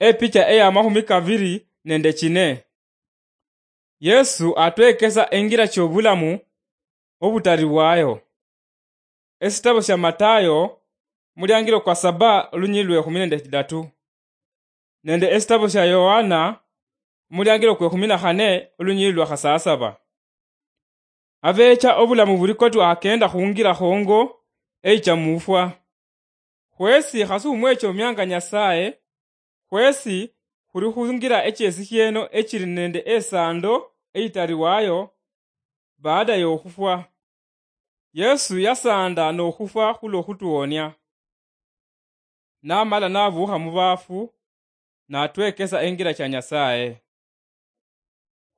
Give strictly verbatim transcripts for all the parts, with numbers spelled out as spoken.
Epicha eya mahumi kaviri nende chine. Yesu atwekesa engira chobulamu obutaribwayo. Esitabo sia Matayo, muliangilo kwa saba, olunyili lwe khumi nende chidatu, nende esitabo sia Yohana, muliangilo kwe khumi na khane, olunyili lwa khasasaba. Abecha obulamu buli koti akenda khungira khongo eicha mufwa. Khwesi khasi humwechomianga Nyasaye, khwesi khuli khungira echesi shieno echili nende esando eitariwayo baada yokhufwa. Yesu yasanda nokhufwa khulwo khutuonia. Namala navukha muvafu, natwekesa engira cha Nyasaye.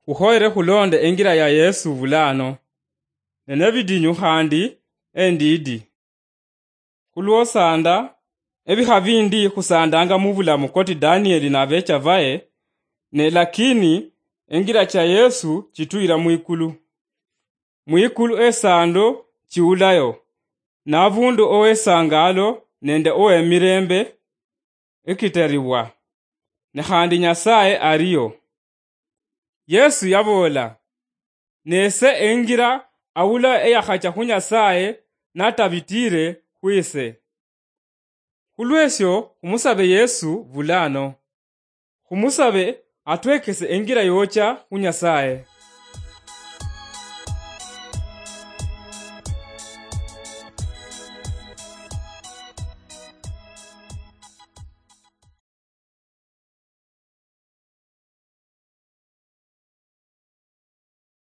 Khukhoyere khulonde engira ya Yesu vulano, ne nebidinyu khandi endidi. Khulwosanda, ebikha bindi khusandanga mubulamu koti Danieli nabecha baye, ne lakini engira cha Yesu chituyira mwikulu. Mwikulu esando chiulayo, navundu owesangalo nende owemirembe ekitaribwa, ne khandi Nyasaye ariyo. Yesu yaboola, nese engira awula eyakhacha khu Nyasaye natabitire khwise. Khulwesyo khumusabe Yesu vulano. Khumusabe atwekese engira yocha khu Nyasaye.